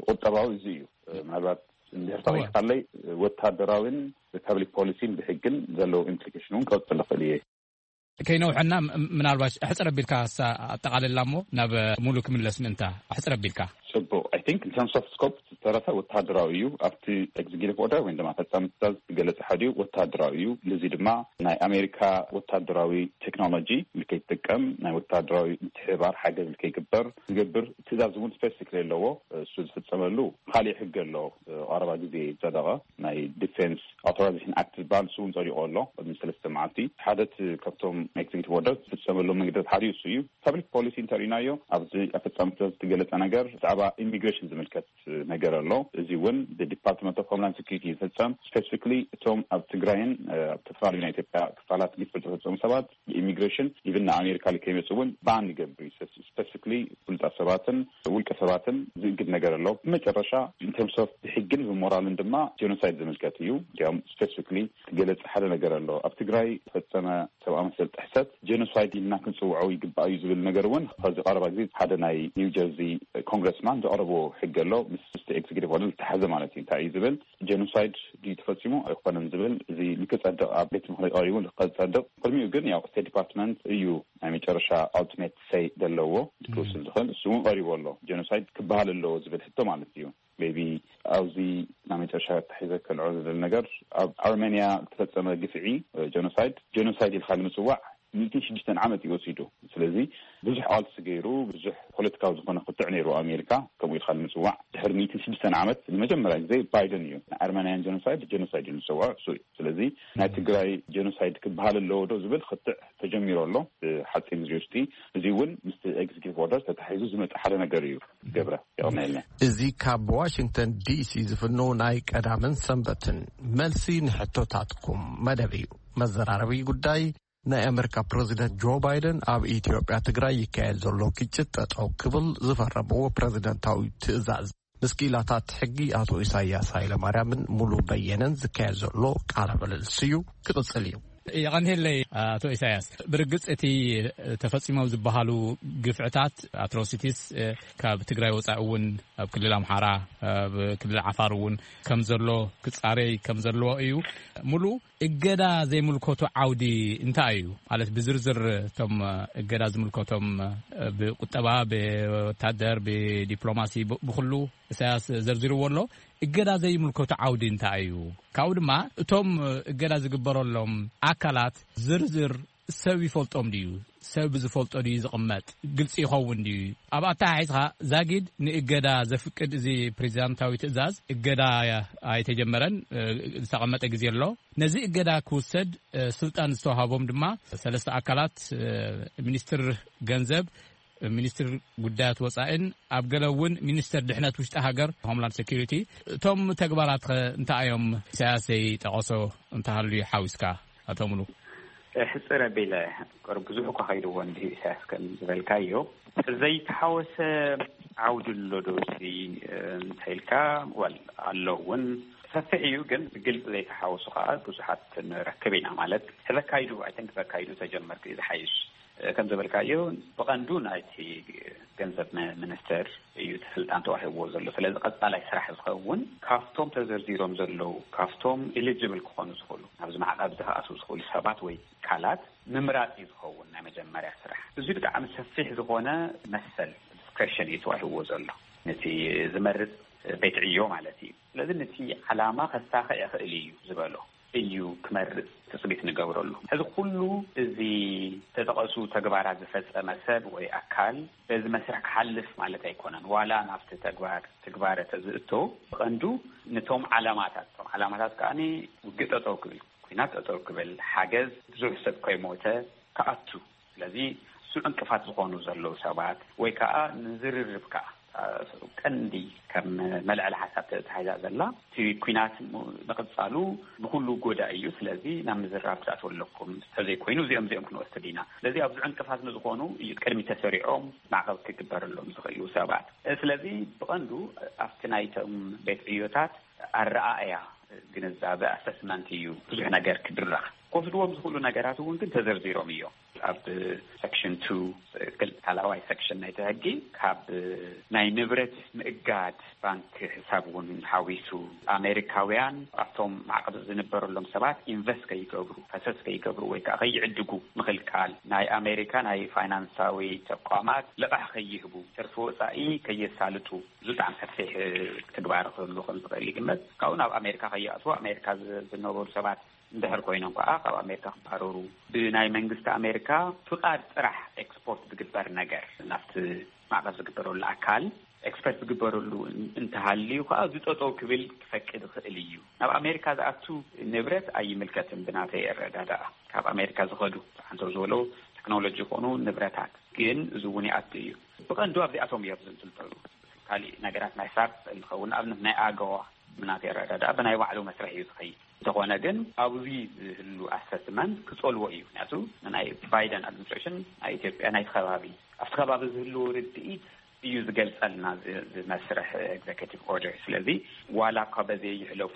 ቁጠባዊ እዚ እዩ። ምናልባት እንድሕር ተሪኻለይ ወታደራዊን ፐብሊክ ፖሊሲን ብሕግን ዘለዉ ኢምፕሊኬሽን እውን ክቐፅል ይኽእል እየ። ከይነውሐና ምናልባሽ ኣሕፅር ኣቢልካ ኣጠቓልላ እሞ ናብ ሙሉ ክምለስ ምእንታ ኣሕፅር ኣቢልካ። ፅቡቅ። I think in terms of scope ዝተረፈ ወታደራዊ እዩ። ኣብቲ ኤግዚኪቲቭ ኦርደር ወይ ድማ ፈፃሚ ትእዛዝ ዝገለፀ ሓደ እዩ፣ ወታደራዊ እዩ። ልዚ ድማ ናይ ኣሜሪካ ወታደራዊ ቴክኖሎጂ ልከይትጥቀም ናይ ወታደራዊ ምትሕባር ሓገዝ ልከይግበር ዝገብር ትእዛዝ እውን ስፔሲፊክ ኣለዎ። እሱ ዝፍፀመሉ ካሊእ ሕጊ ኣሎ። ቀረባ ግዜ ዝፀደቐ ናይ ዲፌንስ ኣውቶራይዜሽን ኣክት ዝበሃል እሱ እውን ፀዲቑ ኣሎ። ቅድሚ ሰለስተ መዓልቲ ሓደ እቲ ካብቶም ኤግዚኪቲቭ ኦርደር ዝፍፀመሉ መንገድታት ሓደ እሱ እዩ። ፐብሊክ ፖሊሲ እንተሪእናዮ ኣብዚ ኣፈፃሚ ትእዛዝ ዝተገለፀ ነገር ብዛዕባ ኢሚግሬሽን ዝምልከት ነገር ኣሎ። እዚ እውን ብዲፓርትመንት ኦፍ ሆምላንድ ሴኩሪቲ ዝፍፀም ስፔሲፊክሊ እቶም ኣብ ትግራይን ኣብ ዝተፈላለዩ ናይ ኢትዮጵያ ክፋላት ግፍዒ ዝፈፀሙ ሰባት ብኢሚግሬሽን ኢቭን ንኣሜሪካ ከይመፁ እውን ባን ይገብር እዩ። ስፔሲፊክሊ ፍሉጣት ሰባትን ውልቀ ሰባትን ዝእግድ ነገር ኣሎ። ብመጨረሻ ኢንተርምስ ኦፍ ብሕግን ብሞራልን ድማ ጀኖሳይድ ዝምልከት እዩ። እንዲያውም ስፔሲፊክሊ ዝገለፅ ሓደ ነገር ኣሎ። ኣብ ትግራይ ዝፈፀመ ሰብኣዊ መሰል ጥሕሰት ጀኖሳይድ ኢልና ክንፅውዖ ይግባእ እዩ ዝብል ነገር እውን ከዚ ቀረባ ግዜ ሓደ ናይ ኒው ጀርዚ ኮንግረስማን ዘቕረቦ ሕጊ ኣሎ። ምስ ኤግዚኪቲቭ ኦርደር ዝተሓዘ ማለት እዩ። እንታይ እዩ ዝብል ጀኖሳይድ ድዩ ተፈፂሙ ኣይኮነን ዝብል እዚ ንክፀድቕ ኣብ ቤት ምኽሪ ቀሪቡ ንክፀድቕ ቅድሚኡ ግን ያው ስቴት ዲፓርትመንት እዩ ናይ መጨረሻ ኣልቲሜት ሰይ ዘለዎ ክወስድ ዝኽእል እሱ እውን ቀሪቡ ኣሎ። ጀኖሳይድ ክበሃል ኣለዎ ዝብል ሕቶ ማለት እዩ። ሜቢ ኣብዚ ናይ መጨረሻ ተሒዘ ከልዖ ዝደሊ ነገር ኣብ ኣርሜንያ ዝተፈፀመ ግፍዒ ጀኖሳይድ ጀኖሳይድ ኢልካ ንምፅዋዕ ሚእትን ሽዱሽተን ዓመት እዩ ወሲዱ። ስለዚ ብዙሕ ቃልሲ ገይሩ ብዙሕ ፖለቲካዊ ዝኾነ ክትዕ ነይሩ ኣሜሪካ ከምኡ ኢልካ ንምፅዋዕ ድሕሪ ሚእትን ሽዱሽተን ዓመት ንመጀመርያ ግዜ ባይደን እዩ ንኣርመናያን ጀኖሳይድ ጀኖሳይድ እዩ ዝፅውዖ እሱ እዩ። ስለዚ ናይ ትግራይ ጀኖሳይድ ክበሃል ኣለዎ ዶ ዝብል ክትዕ ተጀሚሩ ኣሎ። ሓፂር ግዜ ውሽጢ እዚ እውን ምስ ኤግዚኪቲቭ ኦርደር ተታሒዙ ዝመፅእ ሓደ ነገር እዩ። ገብረ የቐናየልና። እዚ ካብ ዋሽንግተን ዲሲ ዝፍኖ ናይ ቀዳምን ሰንበትን መልሲ ንሕቶታትኩም መደብ እዩ። መዘራረቢ ጉዳይ ናይ ኣመሪካ ፕረዚደንት ጆ ባይደን ኣብ ኢትዮጵያ ትግራይ ይካየድ ዘሎ ግጭት ጠጠው ክብል ዝፈረምዎ ፕረዚደንታዊ ትእዛዝ ምስ ክኢላታት ሕጊ ኣቶ ኢሳያስ ሃይለማርያምን ሙሉ በየነን ዝካየድ ዘሎ ቃለ ምልልስ እዩ ክቕጽል እዩ። የቐንየለይ ኣቶ ኢሳያስ። ብርግጽ እቲ ተፈጺሞም ዝበሃሉ ግፍዕታት ኣትሮሲቲስ ካብ ትግራይ ወጻኢ እውን ኣብ ክልል ኣምሓራ ኣብ ክልል ዓፋር እውን ከም ዘሎ ክጻረይ ከም ዘለዎ እዩ። ሙሉ እገዳ ዘይምልከቱ ዓውዲ እንታይ እዩ ማለት ብዝርዝር እቶም እገዳ ዝምልከቶም ብቁጠባ ብወታደር ብዲፕሎማሲ ብኩሉ ኢሳያስ ዘርዚርዎ ኣሎ። እገዳ ዘይምልከቱ ዓውዲ እንታይ እዩ? ካብኡ ድማ እቶም እገዳ ዝግበረሎም ኣካላት ዝርዝር ሰብ ይፈልጦም ድዩ? ሰብ ዝፈልጦ ድዩ ዝቕመጥ? ግልጺ ይኸውን ድዩ? ኣብ ኣተሓሒዝኻ ዛጊድ ንእገዳ ዘፍቅድ እዚ ፕሬዚዳንታዊ ትእዛዝ እገዳ ኣይተጀመረን፣ ዝተቐመጠ ግዜ ኣሎ። ነዚ እገዳ ክውሰድ ስልጣን ዝተዋሃቦም ድማ ሰለስተ ኣካላት፣ ሚኒስትር ገንዘብ፣ ሚኒስትር ጉዳያት ወጻኢን ኣብ ገለ እውን ሚኒስትር ድሕነት ውሽጢ ሃገር፣ ሆምላንድ ሴኩሪቲ። እቶም ተግባራት ከ እንታይ እዮም? ኢሳያስ ዘይጠቐሶ እንተሃልዩ ሓዊስካ፣ ኣቶ ሙሉ። ሕጽር ኣቢለ፣ ቅርብ ብዙሕ እኳ ከይድዎ እንዲሁ ኢሳያስ ከም ዝበልካዮ፣ ዘይተሓወሰ ዓውዲ ኣሎ ዶ እዚ እንተኢልካ፣ ወል ኣሎ እውን፣ ሰፊሕ እዩ፣ ግን ብግልፂ ዘይተሓወሱ ከዓ ብዙሓት ንረክብ ኢና። ማለት ተዘካይዱ፣ ኣይ ቲንክ ተዘካይዱ ተጀመርክ እዩ ዝሓይሽ። ከም ዝበልካዮ፣ ብቐንዱ ናይቲ ገንዘብ ሚ- ሚኒስተር እዩ እቲ ስልጣን ተዋሂብዎ ዘሎ። ስለዚ ቀጻላይ ስራሕ ዝኸውን ካብቶም ተዘርዚሮም ዘለዉ፣ ካብቶም ኤሊጅብል ክኾኑ ዝኽእሉ፣ ናብዚ ማዕቐብ ዝከኣሱ ዝኽእሉ ሰባት ወይ ትካላት ምምራጽ እዩ ዝኸውን ናይ መጀመርያ ስራሕ። እዚ ብጣዕሚ ሰፊሕ ዝኾነ መሰል፣ ዲስክሬሽን እዩ ተዋሂብዎ ዘሎ፣ ነቲ ዝመርጽ ቤት ዕዮ ማለት እዩ። ስለዚ ነቲ ዓላማ ከሳኽዕ ይኽእል እዩ ዝበሎ እዩ ክመርጽ ትጽቢት ንገብረሉ። ሕዚ ኩሉ እዚ ተጠቐሱ ተግባራት ዝፈጸመ ሰብ ወይ ኣካል በዚ መስርሕ ክሓልፍ ማለት ኣይኮነን። ዋላ ናብቲ ተግባር ትግባረ ተዝእቶ፣ ብቐንዱ ነቶም ዓላማታት፣ እቶም ዓላማታት ከኣ ውግእ ጠጠው ክብል፣ ኲናት ጠጠው ክብል፣ ሓገዝ ብዙሕ ሰብ ከይሞተ ክኣቱ። ስለዚ እሱ ዕንቅፋት ዝኾኑ ዘለዉ ሰባት ወይ ከኣ ንዝርርብ ከኣ ቀንዲ ከም መልዕሊ ሓሳብ ተታሒዛ ዘላ፣ እቲ ኲናት ም- ንቕጻሉ ንኹሉ ጎዳኢ እዩ። ስለዚ ናብ ምዝራብ ክትኣትዉ ኣለኩም፣ እንተዘይኮይኑ እዚኦም እዚኦም ክንወስድ ኢና። ስለዚ ኣብዚ ዕንቅፋት ንዝኾኑ እዩ ቅድሚ ተሰሪዖም ማዕቐብ ክግበረሎም ዝኽእሉ ሰባት። ስለዚ ብቐንዱ ኣብቲ ናይቶም ቤት ዕዮታት ኣረኣእያ፣ ግንዛበ፣ ኣሰስመንት እዩ ብዙሕ ነገር ክድረኽ። ክወስድዎም ዝኽእሉ ነገራት እውን ግን ተዘርዚሮም እዮም። ኣብ ሰክሽን ቱ፣ ክል- ካልኣዋይ ሰክሽን ናይቲ ሕጊ፣ ካብ ናይ ንብረት ምእጋድ ባንክ ሕሳብ እውን ሓዊሱ፣ ኣሜሪካውያን ኣብቶም ማዕቐብ ዝንበረሎም ሰባት ኢንቨስት ከይገብሩ፣ ፈሰስ ከይገብሩ ወይ ከዓ ከይዕድጉ ምኽልካል፣ ናይ ኣሜሪካ ናይ ፋይናንሳዊ ተቋማት ልቓሕ ከይህቡ፣ ትርፊ ወፃኢ ከየሳልጡ፣ እዚ ብጣዕሚ ሰፊሕ ትግባር ክህሉ ከም ዝኽእል ይግመት። ካብኡ ናብ ኣሜሪካ ከይኣትዉ፣ ኣሜሪካ ዝ- ዝነበሩ ሰባት እንድሕር ኮይኖም ከዓ ካብ ኣሜሪካ ክባረሩ፣ ብናይ መንግስቲ ኣሜሪካ ፍቓድ ጥራሕ ኤክስፖርት ዝግበር ነገር ናብቲ ማዕቐብ ዝግበረሉ ኣካል ኤክስፖርት ዝግበረሉ እን- እንተሃልዩ ከዓ እዚ ጠጠው ክብል ክፈቅድ ይኽእል እዩ። ናብ ኣሜሪካ ዝኣቱ ንብረት ኣይምልከትን ብናተይ ኣረዳድኣ። ካብ ኣሜሪካ ዝኸዱ ተዓንተው ዝበሎ ቴክኖሎጂ ይኾኑ ንብረታት ግን እዚ እውን ይኣቱ እዩ። ብቐንዱ ኣብዚኣቶም እዮም ዝንጥልጠሉ። ካሊእ ነገራት ናይ ሳብ እንኸውን፣ ንኣብነት ናይ ኣገዋ ብናተይ ኣረዳድኣ ብናይ ባዕሉ መስርሕ እዩ ዝኸይድ። እንተኾነ ግን ኣብዚ ዝህሉ ኣሰስመንት ክጸልዎ እዩ። ምክንያቱ ንናይ ባይደን ኣድሚኒስትሬሽን ናይ ኢትዮጵያ ናይቲ ከባቢ ኣብቲ ከባቢ ዝህልዎ ርድኢት እዩ ዝገልጸልና እዚ እዚ መስርሕ ኤግዜኪቲቭ ኦርደር። ስለዚ ዋላ እኳ በዚ ይሕለፉ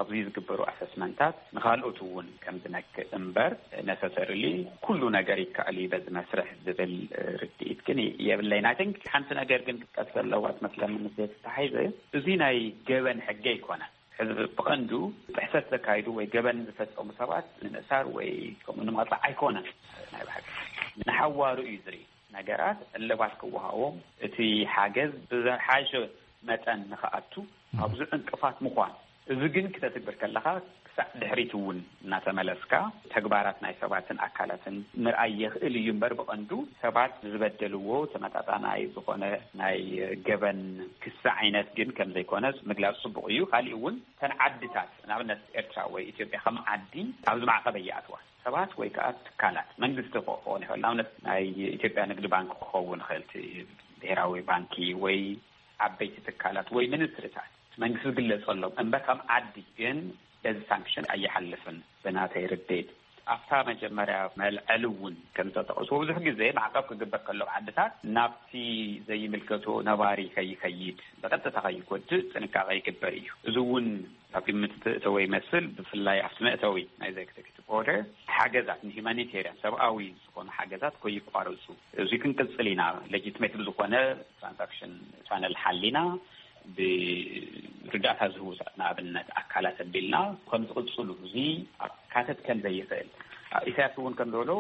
ኣብዚ ዝግበሩ ኣሰስመንታት ንኻልኦት እውን ከም ዝነክእ እምበር ነሰሰርሊ ኩሉ ነገር ይከኣል እዩ በዚ መስርሕ ዝብል ርድኢት ግን የብለይን። ኣይ ቲንክ ሓንቲ ነገር ግን ክትጠቅስ ኣለዋ ትመስለኒ ምስ ዘተተሓይዘ፣ እዚ ናይ ገበን ሕጊ ኣይኮነን። ሕዚ ብቐንዱ ጥሕሰት ዘካይዱ ወይ ገበን ዝፈጸሙ ሰባት ንምእሳር ወይ ከምኡ ንምቕጻዕ ኣይኮነን። ናይ ብሓቂ ንሓዋሩ እዩ ዝርኢ። ነገራት ዕልባት ክወሃቦም፣ እቲ ሓገዝ ብዝሓሸ መጠን ንኽኣቱ ኣብዚ ዕንቅፋት ምዃን፣ እዚ ግን ክተትግብር ከለኻ ክሳዕ ድሕሪት እውን እናተመለስካ ተግባራት ናይ ሰባትን ኣካላትን ምርኣይ የኽእል እዩ እምበር ብቐንዱ ሰባት ዝበደልዎ ተመጣጣናይ ዝኾነ ናይ ገበን ክሲ ዓይነት ግን ከም ዘይኮነ ምግላፅ ፅቡቕ እዩ። ካሊእ እውን እተን ዓድታት ንኣብነት ኤርትራ ወይ ኢትዮጵያ ከም ዓዲ ኣብዚ ማዕቐብ እየኣትዋ ሰባት ወይ ከዓ ትካላት መንግስቲ ክኾን ይኽእል። ንኣብነት ናይ ኢትዮጵያ ንግዲ ባንክ ክኸውን ይኽእል፣ እቲ ብሄራዊ ባንኪ ወይ ዓበይቲ ትካላት ወይ ሚኒስትሪታት መንግስቲ ዝግለጸሎም እምበር ከም ዓዲ ግን በዚ ሳንክሽን ኣይሓልፍን ብናተይ ርድኢት። ኣብታ መጀመርያ መልዐሊ እውን ከም ዝተጠቕስዎ ብዙሕ ግዜ ማዕቀብ ክግበር ከሎ ዓድታት ናብቲ ዘይምልከቶ ነባሪ ከይከይድ ብቐጥታ ከይጎድእ ጥንቃቐ ይግበር እዩ። እዚ እውን ኣብ ግምት እተወ ይመስል። ብፍላይ ኣብቲ መእተዊ ናይ ኤግዜኪቲቭ ኦርደር ሓገዛት ንሂማኒቴርያን ሰብኣዊ ዝኾኑ ሓገዛት ከይቋረፁ እዚ ክንቅፅል ኢና። ሌጂትሜት ብዝኾነ ትራንዛክሽን ቻነል ሓሊና ብርዳእታ ዝህቡ ንኣብነት ኣካላት ኣቢልና ከም ዝቕፅሉ እዚ ካተት ከም ዘይኽእል ኢሳያስ እውን ከም ዝበሎ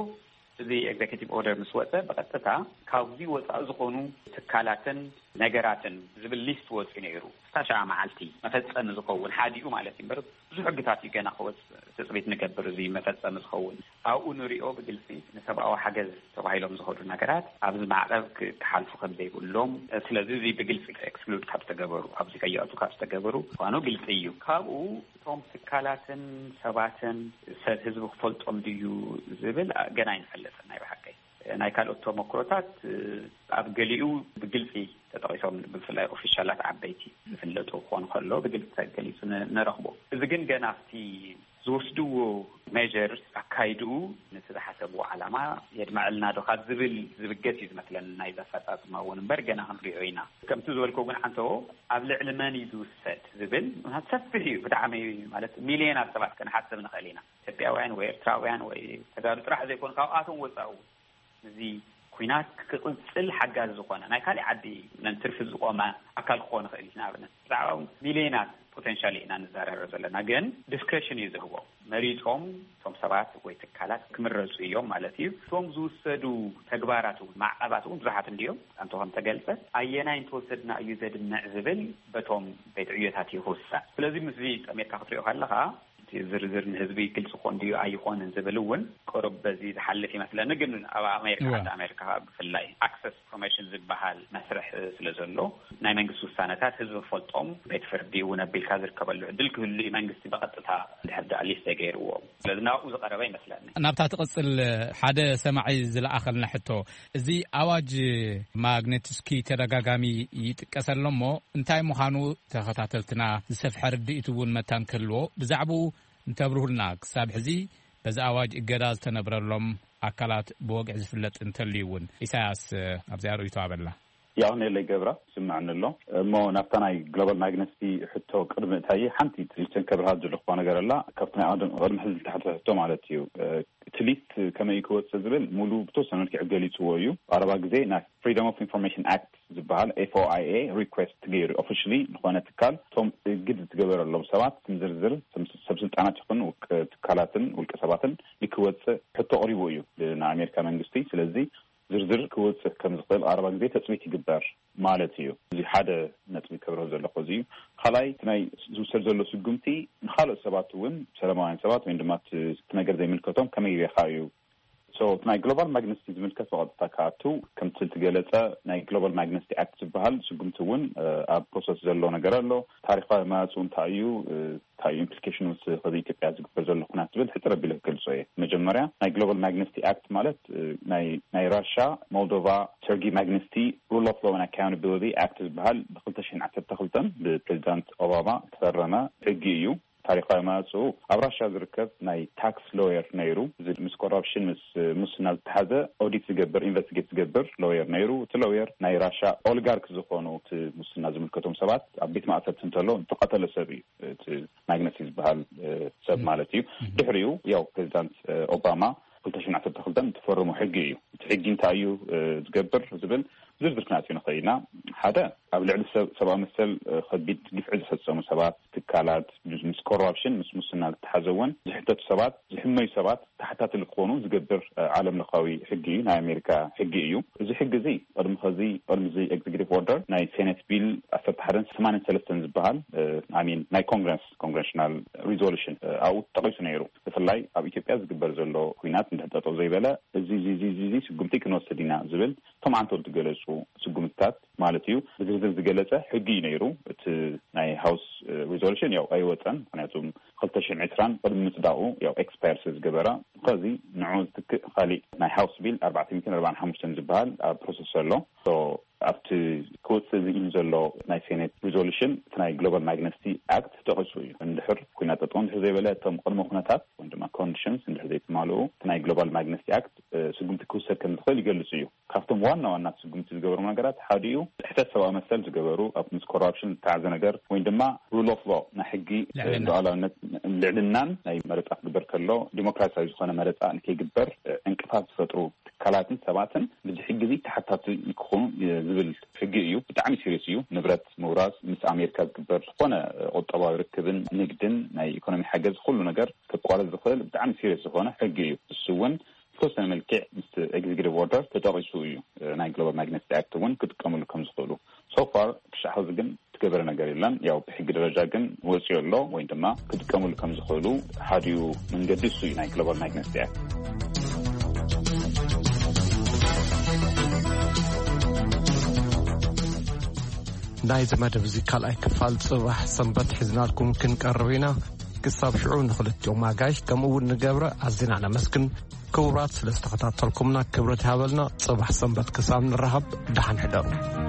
እዚ ኤግዜኪቲቭ ኦርደር ምስ ወፀ ብቐጥታ ካብዚ ወፃኢ ዝኾኑ ትካላትን ነገራትን ዝብል ሊስት ወፂኡ ነይሩ። ክሳብ ሻዓ መዓልቲ መፈፀሚ ዝኸውን ሓዲኡ ማለት እዩ። እምበር ብዙሕ ሕግታት እዩ ገና ክወፅእ ትፅቢት ንገብር። እዚ መፈፀሚ ዝኸውን ኣብኡ ንሪኦ ብግልፂ ንሰብኣዊ ሓገዝ ተባሂሎም ዝኸዱ ነገራት ኣብዚ ማዕቐብ ክ- ክሓልፉ ከም ዘይብሎም። ስለዚ እዚ ብግልፂ ኤክስክሉድ ካብ ዝተገበሩ፣ ኣብዚ ከይኣቱ ካብ ዝተገበሩ ምዃኑ ግልፂ እዩ። ካብኡ እቶም ትካላትን ሰባትን ሰብ ህዝቢ ክፈልጦም ድዩ ዝብል ገና ኣይንፈልጥን። ናይ ብሓቀይ ናይ ካልኦት ተመክሮታት ኣብ ገሊኡ ብግልፂ ተጠቂሶም፣ ብፍላይ ኦፊሻላት ዓበይቲ ዝፍለጡ ክኾኑ ከሎ ብግልፂ ተገሊፁ ን- ንረኽቦ። እዚ ግን ገና ኣብቲ ዝወስድዎ ሜጀርስ ኣካይድኡ ነቲ ዝሓሰብዎ ዓላማ የድመዐልና ዶ ካብ ዝብል ዝብገስ እዩ ዝመስለኒ ናይዚ ኣፈፃፅማ እውን እምበር ገና ክንሪኦ ኢና። ከምቲ ዝበልኮ ግን ዓንተዎ ኣብ ልዕሊ መን እዩ ዝውሰድ ዝብል ሰፊሕ እዩ ብጣዕሚ። ማለት ሚልዮናት ሰባት ክንሓስብ ንኽእል ኢና። ኢትዮጵያውያን ወይ ኤርትራውያን ወይ ተጋሩ ጥራሕ ዘይኮኑ ካብኣቶም ወፃኡ እዚ ኩናት ክቕፅል ሓጋዚ ዝኾነ ናይ ካሊእ ዓዲ ነንትርፊ ዝቆመ ኣካል ክኾን ይኽእል እዩ። ንኣብነት ብዛዕባ ሚልዮናት ፖቴንሻል ኢና ንዛረበ ዘለና፣ ግን ዲስክሬሽን እዩ ዝህቦ። መሪፆም እቶም ሰባት ወይ ትካላት ክምረፁ እዮም ማለት እዩ። እቶም ዝውሰዱ ተግባራት እውን ማዕቐባት እውን ብዙሓት እንዲዮም። ኣንተ ከም ተገልፀ ኣየናይ እንተወሰድና እዩ ዘድምዕ ዝብል በቶም ቤት ዕዮታት ይውሳን። ስለዚ ምስዚ ጠሜርካ ክትሪኦ ከለኻ እቲ ዝርዝር ንህዝቢ ግልፂ ኮን ድዩ ኣይኾንን ዝብል እውን ቅሩብ በዚ ዝሓልፍ ይመስለኒ። ግን ኣብ ኣሜሪካ እወ። ዓዲ ኣሜሪካ ብፍላይ ኣክሰስ ኢንፎርሜሽን ዝበሃል መስርሕ ስለ ዘሎ ናይ መንግስቲ ውሳነታት ህዝቢ ፈልጦም ቤት ፍርዲ እውን ኣቢልካ ዝርከበሉ ዕድል ክህሉ እዩ። መንግስቲ ብቐጥታ ድሕር ዳኣ ሊስት ገይርዎ ስለዚ ናብኡ ዝቐረበ ይመስለኒ። ናብታ ትቕጽል ሓደ ሰማዒ ዝለኣኸልና ሕቶ፣ እዚ ኣዋጅ ማግኔትስኪ ተደጋጋሚ ይጥቀሰ ኣሎ እሞ እንታይ ምዃኑ ተኸታተልትና ዝሰፍሐ ርድኢት እውን መታን ክህልዎ ብዛዕባኡ እንተብርሁልና። ክሳብ ሕዚ በዚ ኣዋጅ እገዳ ዝተነብረሎም ኣካላት ብወግዒ ዝፍለጥ እንተልዩ እውን። ኢሳያስ ኣብዚኣ ርእይቶ ኣበላ። ያው ኔለይ ገብራ ስምዐኒ ኣሎ እሞ ናብታ ናይ ግሎባል ማግነስቲ ሕቶ ቅድሚ እታየ ሓንቲ ትሊትን ከብርሃት ዝልኮ ነገር ኣላ። ካብቲ ናይ ኣዋጅ ቅድሚ ሕዚ ዝተሓተ ሕቶ ማለት እዩ። እቲ ሊስት ከመይ እዩ ክወፅእ ዝብል ሙሉ ብተወሰነ መልክዕ ገሊፅዎ እዩ። ኣረባ ግዜ ናይ ፍሪደም ኦፍ ኢንፎርሜሽን ኣክት ዝበሃል ኤፍኦኣይኤ ሪኩዌስት ገይሩ ኦፊሽሊ ዝኾነ ትካል እቶም እግድ ዝትገበረሎም ሰባት ስም ዝርዝር ሰብ ስልጣናት ይኹን ትካላትን ውልቀ ሰባትን ንክወፅእ ሕቶ ኣቕሪቡ እዩ ንኣሜሪካ መንግስቲ። ስለዚ ዝርዝር ክወፅእ ከም ዝኽእል ኣረባ ግዜ ተፅቢት ይግበር ማለት እዩ። እዚ ሓደ ነጥቢ ከብርህ ዘለኹ እዚ እዩ። ካልኣይ እቲ ናይ ዝውሰድ ዘሎ ስጉምቲ ንካልኦት ሰባት እውን ሰላማውያን ሰባት ወይም ድማ እቲ ነገር ዘይምልከቶም ከመይ ጌርካ እዩ So ናይ ግሎባል ማግነስቲ ዝምልከት ብቐጥታ ክኣቱ ከምቲ ዝገለፀ ናይ ግሎባል ማግነስቲ ኣክት ዝበሃል ስጉምቲ እውን ኣብ ፕሮሰስ ዘሎ ነገር ኣሎ። ታሪካዊ መዋፅኡ እንታይ እዩ፣ እንታይ እዩ ኢምፕሊኬሽኑ ምስ ከዚ ኢትዮጵያ ዝግበር ዘሎ ኩናት ዝብል ሕፅር ኣቢለ ክገልፆ እየ። መጀመርያ ናይ ግሎባል ማግነስቲ ኣክት ማለት ናይ ራሻ፣ ሞልዶቫ፣ ሰርጊ ማግነስቲ ሩል ኦፍ ሎው ኣካውንታቢሊቲ ኣክት ዝበሃል ብክልተ ሽሕን ዓሰርተ ክልተን ብፕሬዚዳንት ኦባማ ዝተፈረመ ሕጊ እዩ። ታሪካዊ መዋፅኡ ኣብ ራሻ ዝርከብ ናይ ታክስ ሎየር ነይሩ። እዚ ምስ ኮራፕሽን ምስ ሙስና ዝተሓዘ ኦዲት ዝገብር ኢንቨስቲጌት ዝገብር ሎየር ነይሩ። እቲ ሎየር ናይ ራሻ ኦሊጋርክ ዝኾኑ እቲ ሙስና ዝምልከቶም ሰባት ኣብ ቤት ማእሰርቲ እንተሎ ዝተቐተለ ሰብ እዩ። እቲ ማግነሲ ዝበሃል ሰብ ማለት እዩ። ድሕሪኡ ያው ፕሬዚዳንት ኦባማ ክልተ ሽሕን ዓሰርተ ክልተን እትፈርሙ ሕጊ እዩ። እቲ ሕጊ እንታይ እዩ ዝገብር ዝብል ዝርዝር ክነኣትዮ ንኽእል ኢና። ሓደ ኣብ ልዕሊ ሰብ ሰብኣዊ መሰል ከቢድ ግፍዒ ዝፈፀሙ ሰባት፣ ትካላት ምስ ኮራፕሽን ምስ ሙስና ዝተሓዘ እውን ዝሕተቱ ሰባት ዝሕመዩ ሰባት ተሓታትሊ ክኾኑ ዝገብር ዓለም ለኻዊ ሕጊ እዩ። ናይ ኣሜሪካ ሕጊ እዩ። እዚ ሕጊ እዚ ቅድሚ ኸዚ ቅድሚ እዚ ኤግዚኪቲቭ ኦርደር ናይ ሴኔት ቢል ዓሰርተ ሓደን ሰማንያን ሰለስተን ዝበሃል ኣሚን ናይ ኮንግረስ ኮንግረሽናል ሪዞሉሽን ኣብኡ ተጠቂሱ ነይሩ። ብፍላይ ኣብ ኢትዮጵያ ዝግበር ዘሎ ኩናት እንድሕር ጠጠው ዘይበለ እዚ እዚ እዚ እዚ ስጉምቲ ክንወስድ ኢና ዝብል እቶም ዓንተው ዝገለፁ ስጉምትታት ማለት እዩ ብዝርዝር ዝገለፀ ሕጊ እዩ ነይሩ። እቲ ናይ ሃውስ ሪዞሉሽን ያው ኣይወፀን። ምክንያቱ ክልተ ሽሕን ዕስራን ቅድሚ ምፅዳቁ ያው ኤክስፓየር ስለ ዝገበረ ከዚ ንዑ ዝትክእ ካሊእ ናይ ሃውስ ቢል ኣርባዕተ ሚእትን ኣርባዓን ሓሙሽተን ዝበሃል ኣብ ፕሮሰስ ኣሎ። ኣብቲ ክወፅእ ዝኢን ዘሎ ናይ ሴኔት ሪዞሉሽን እቲ ናይ ግሎባል ማግነስቲ ኣክት ተጠቂሱ እዩ። እንድሕር ኩናት ጠጠው እንድሕር ዘይበለ እቶም ቅድመ ኩነታት ወይ ድማ ኮንዲሽንስ እንድሕር ዘይተማልኡ እቲ ናይ ግሎባል ማግነስቲ ኣክት ስጉምቲ ክውሰድ ከም ዝኽእል ይገልፅ እዩ። ካብቶም ዋና ዋና ስጉምቲ ዝገበሩ ነገራት ሓደ እዩ ጥሕተት ሰብኣዊ መሰል ዝገበሩ ኣብ ምስ ኮራፕሽን ዝተሓዘ ነገር ወይ ድማ ሩል ኦፍ ሎ ናይ ሕጊ ልዕልናን ናይ መረፃ ክግበር ከሎ ዲሞክራሲያዊ ዝኾነ መረፃ ንከይግበር ዕንቅፋት ዝፈጥሩ ትካላትን ሰባትን ብዚ ሕጊ እዚ ተሓታቲ ክኾኑ ዝብል ሕጊ እዩ። ብጣዕሚ ሲሪየስ እዩ። ንብረት ምውራስ ምስ ኣሜሪካ ዝግበር ዝኾነ ቁጠባዊ ርክብን ንግድን ናይ ኢኮኖሚ ሓገዝ ኩሉ ነገር ከቋርፅ ዝኽእል ብጣዕሚ ሲሪየስ ዝኾነ ሕጊ እዩ። እሱ እውን ብተወሰነ መልክዕ ምስ ኤግዚኪቲቭ ኦርደር ተጠቂሱ እዩ። ናይ ግሎባል ማግነስቲ ኣክት እውን ክጥቀምሉ ከም ዝኽእሉ ሶፋር ክሻዕ ሕዚ ግን ትገበረ ነገር የለን። ያው ብሕጊ ደረጃ ግን ወፂኡ ኣሎ ወይ ድማ ክጥቀሙሉ ከም ዝኽእሉ ሓዲኡ መንገዲ እሱ እዩ ናይ ግሎባል ናይት መስቲያ። ናይዚ መደብ እዚ ካልኣይ ክፋል ጽባሕ ሰንበት ሒዝናልኩም ክንቀርብ ኢና። ክሳብ ሽዑ ንኽልቲኦም ኣጋይሽ ከምኡ እውን ንገብረ ኣዚና ነመስግን። ክቡራት፣ ስለ ዝተኸታተልኩምና ክብረት ይሃበልና። ጽባሕ ሰንበት ክሳብ ንረሃብ ደሓን ሕደሩ።